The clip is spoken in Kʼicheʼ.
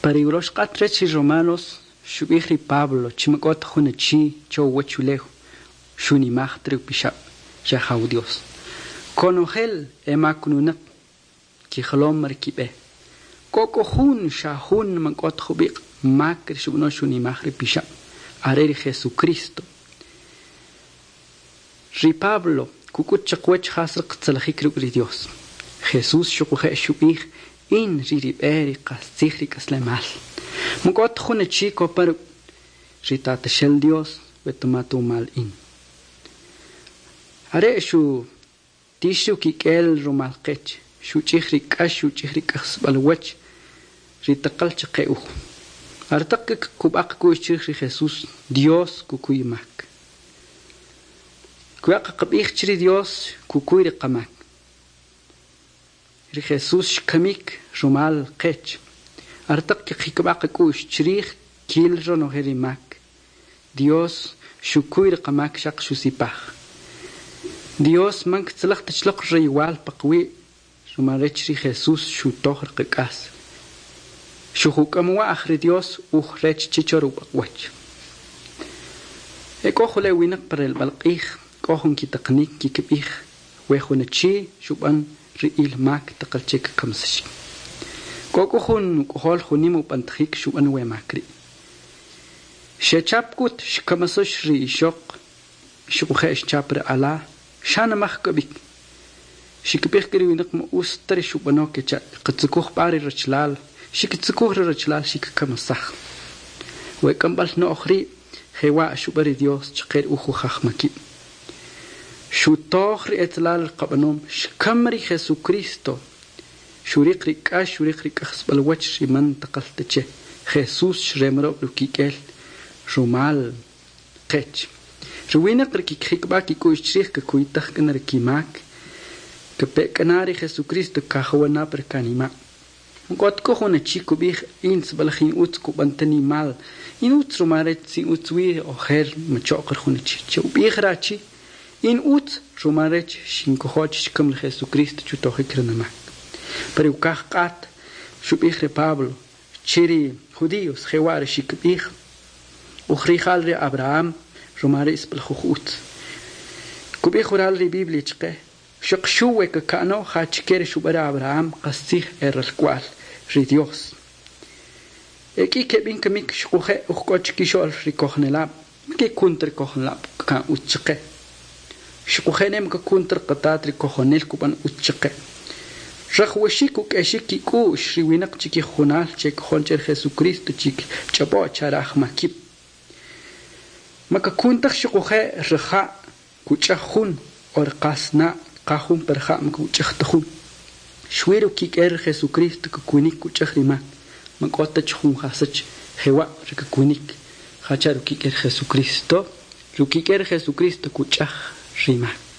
Pa ri urox q'at rech ri Romanos xub'ij ri Pablo chi man k'o ta jun achi cho uwachulew xunimaj ta ri upixab' ri Ajaw Dios. Konojel e makununaq kijolom ri kib'e. K'o k'u jun, xa jun man k'o ta jub'iq' mak ri xub'ano xunimaj ri pixab', are ri Jesucristo. Ri Pablo kuk'ut chaqawach jas ri qtzalajik ruk' ri Dios. Jesús xuquje' xub'ij, In ri' ri b'e, ri qastzij, ri k'aslemal. Man k'o ta jun achi kopan ruk' ri Tataxel Dios we ta ma ta wumal in. Are' xutix ri ukik'el rumal qech, xuch'ij ri k'ax, xuch'ij ri k'ajsib'al wach ri taqal chaqe uj. Aretaq kqakub'a qak'u'x chrij ri Jesús, Dios kukuy mak. Kuya' kqab'ij che ri Dios kukuy ri qamak. Ri Jesús xkamik rumal qech. Aretaq kqikb'a qak'u'x chrij kil ronojel ri mak. Dios xukuy ri qamak xaq xusipaj. Dios man ktzalaj ta chloq royowal pa qawi' rumal rech ri Jesús xutoj ri qak'as. Xujuk'amwa'j ri Dios uj rech che cho ri ub'aq'wach. E k'o jule' winaq pa relb'al q'ij k'o jun kitaqanik kikb'ij we jun achi xub'an ri il mak taqal che kkamsaxik. K'o k'u jun uk'ojol jun nim ub'antajik xub'an we mak ri'. Xechap k'ut xkamasax ri ixoq xuquje' xchap ri ala xanimaj k'u b'ik. Xikib'ij k'u ri winaq ma utz ta ri xub'ano kecha' katzukuj b'a ri rachalal, xikitzukuj ri rachalal xikikamasaj. We k'amb'al no'j ri' jewa' xub'an ri Dios chaqe ri uj ujajmakib'. Xutoj ri etzelal ri qab'anom, xkam ri Jesucristo, xuriq ri k'ax, xuriq ri k'ajsib'al wach ri man taqal ta che. Jesús xremrob' ri ukik'el rumal qech. Ri winaq ri kikjikb'a kik'u'x chrij kakuytaj k'u na ri kimak, kape k'u na ri Jesucristo kajawana pa ri kanima'. Man k'o ta k'u jun achi kub'ij, In sib'alaj in utz kub'an ta nimal, in utz rumal rech tzi utz wi ojer macho'q ri jun achi. Che'ub'ij ri achi, In utz rumal rech xinkojo chi xkam ri Jesucristo chutojik ri numak. Pa ri ukaj q'at xub'ij ri Pablo che ri judíos jewa' ri xikib'ij, Uj rija'l ri Abraham rumal ri' sib'alaj uj utz. Kub'ij waral ri Biblia chqe, Xaq xu we kaka'no jachike ri xub'an ri Abraham qastzij e ralk'wa'l ri Dios. E k'i keb'in kamik xuquje' uj k'o chkixo'l ri kojonelab', man kekun ta ri kojonelab' kka'n utz chqe. Xuquje' ne man kakun ta ri qatat ri kojonel kub'an utz chqe. Rajwaxik uk'exik kik'u'x ri winaq chikijujunal che kojon che ri Jesucristo chikch'ob'o' chare ajmakib'. Man kakun taj xuquje' ri ja' Kuch'aj jun o ri qasna' kqaj jun pa ri ja' man kuch'aj ta jun. Xwi ri ukik'el ri Jesucristo kakwinik kuch'aj ri mak, man k'o ta chi jun jasach jewa' ri kakwinik jacha' ri ukik'el ri Jesucristo. Ri ukik'el ri Jesucristo kuch'aj ri mak.